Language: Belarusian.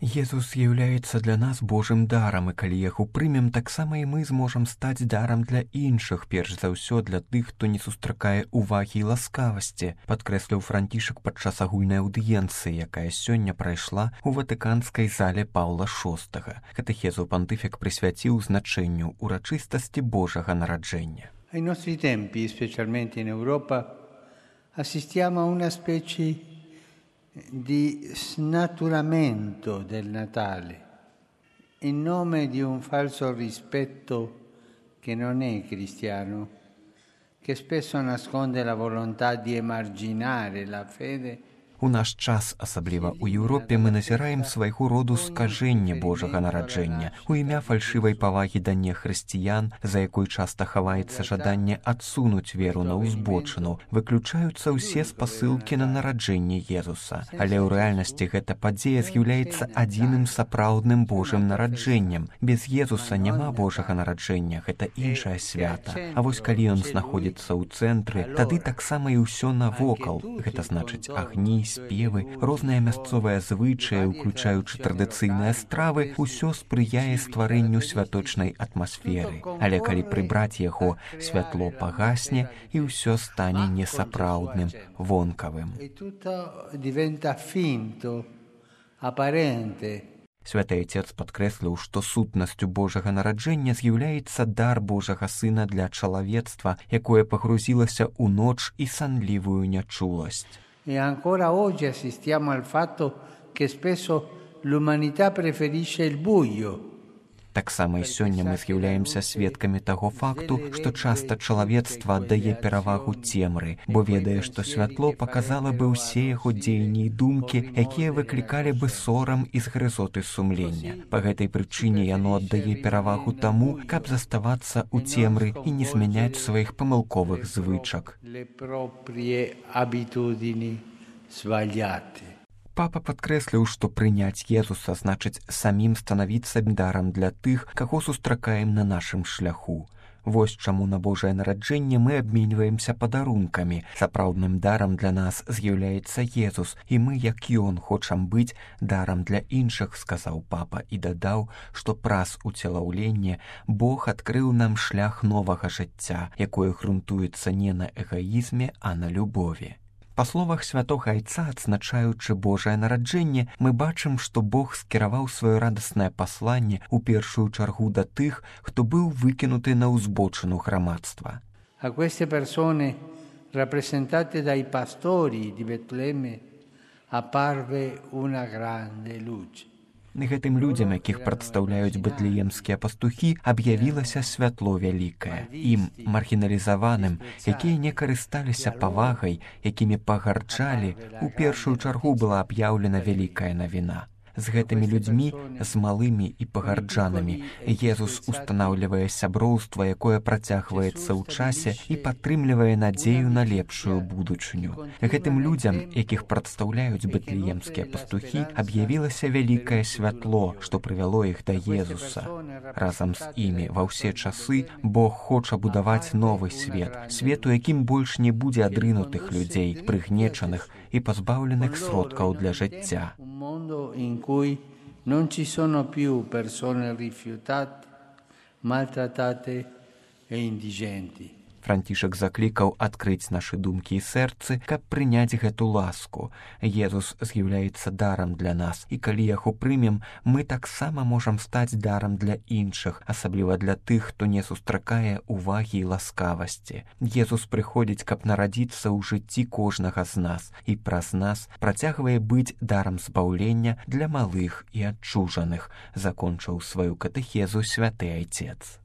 Езус з'яўляецца для нас Божым дарам, і калі яго прымем, таксама і мы зможам стаць дарам для іншых, перш за ўсё для тых, хто не сустракае ўвагі і ласкавасці, падкрэсліў Францішак падчас агульнай аўдыенцыі, якая сёння прайшла ў ватыканскай зале Паўла VI. Катэхезу пантыфік прысвяціў значэнню урачыстасці Божага нараджэння. Ai nostri tempi, specialmente in Europa, assistiamo a una specie di snaturamento del Natale in nome di un falso rispetto che non è cristiano, che spesso nasconde la volontà di emarginare la fede. У наш час, асабліва ў Еўропе, мы назіраем свайго роду скажэнне Божага нараджэння у імя фальшывай павагі да нехрысціян, за якой часта хаваецца жаданне адсунуць веру на ўзбочыну, выключаюцца ўсе спасылкі на нараджэнне Езуса. Але ў рэальнасці гэта падзея з'яўляецца адзіным сапраўдным Божым нараджэннем. Без Езуса няма Божага нараджэння, гэта іншае свята. А вось калі ён знаходзіцца ў цэнтры, тады таксама і ўсё навокал, гэта значыць агні, спевы, розныя мясцовыя звычаі, уключаючы традыцыйныя стравы, усё спрыяе стварэнню святочнай атмасферы. Але калі прыбраць яго, святло пагасне і ўсё стане несапраўдным, вонкавым. Святы Отец падкрэсліў, што сутнасцю Божага нараджэння з'яўляецца дар Божага Сына для чалавецтва, якое пагрузілася ў ноч і санлівую нячуласць. E ancora oggi assistiamo al fatto che spesso l'umanità preferisce il buio. Таксама і сёння мы з'яўляемся сведкамі таго факту, што часта чалавецтва аддае перавагу цемры, бо ведае, што святло паказала бы ўсе яго дзеянні і думкі, якія выклікалі бы сорам і згрызоты сумлення. Па гэтай прычыне яно аддае перавагу таму, каб заставацца ў цемры і не змяняць сваіх памылковых звычак. Папа падкрэсліў, што прыняць Езуса значыць самім станавіцца дарам для тых, каго сустракаем на нашым шляху. Вось чаму на Божае нараджэнне мы абменьваемся падарункамі. Сапраўдным дарам для нас з'яўляецца Езус, і мы, як ён, хочам быць дарам для іншых, сказаў папа і дадаў, што праз уцелаўленне Бог адкрыў нам шлях новага жыцця, якое грунтуецца не на эгаізме, а на любові. Па словах святога Айца, адзначаючы Божае нараджэнне, мы бачым, што Бог скіраваў сваё радаснае пасланне ў першую чаргу да тых, хто быў выкінуты на ўзбочыну грамадства. A queste persone, rappresentate dai pastori di Betlemme, apparve una grande luce. Гэтым людзям, якіх прадстаўляюць бэтлеемскія пастухі, аб'явілася святло вялікае. Ім, маргіналізаваным, якія не карысталіся павагай, якімі пагарджалі, у першую чаргу была аб'яўлена вялікая навіна. З гэтымі людзьмі, з малымі і пагарджанамі, Езус устанаўлівае сяброўства, якое працягваецца ў часе і падтрымлівае надзею на лепшую будучыню. Гэтым людзям, якіх прадстаўляюць бэтлеемскія пастухі, аб'явілася вялікае святло, што прывяло іх да Езуса. Разам з імі ва ўсе часы Бог хоча будаваць новы свет, свет, у якім больш не будзе адрынутых людзей, прыгнечаных і пазбаўленых сродкаў для жыцця. Cui non ci sono più persone rifiutate, maltrattate e indigenti. Францішак заклікаў адкрыць нашы думкі і сэрцы, каб прыняць гэту ласку. Езус з'яўляецца дарам для нас, і калі яго прымем, мы таксама можам стаць дарам для іншых, асабліва для тых, хто не сустракае ўвагі і ласкавасці. Езус прыходзіць, каб нарадзіцца ў жыцці кожнага з нас, і праз нас працягвае быць дарам збаўлення для малых і адчужаных, закончыў сваю катэхезу святы Айцец.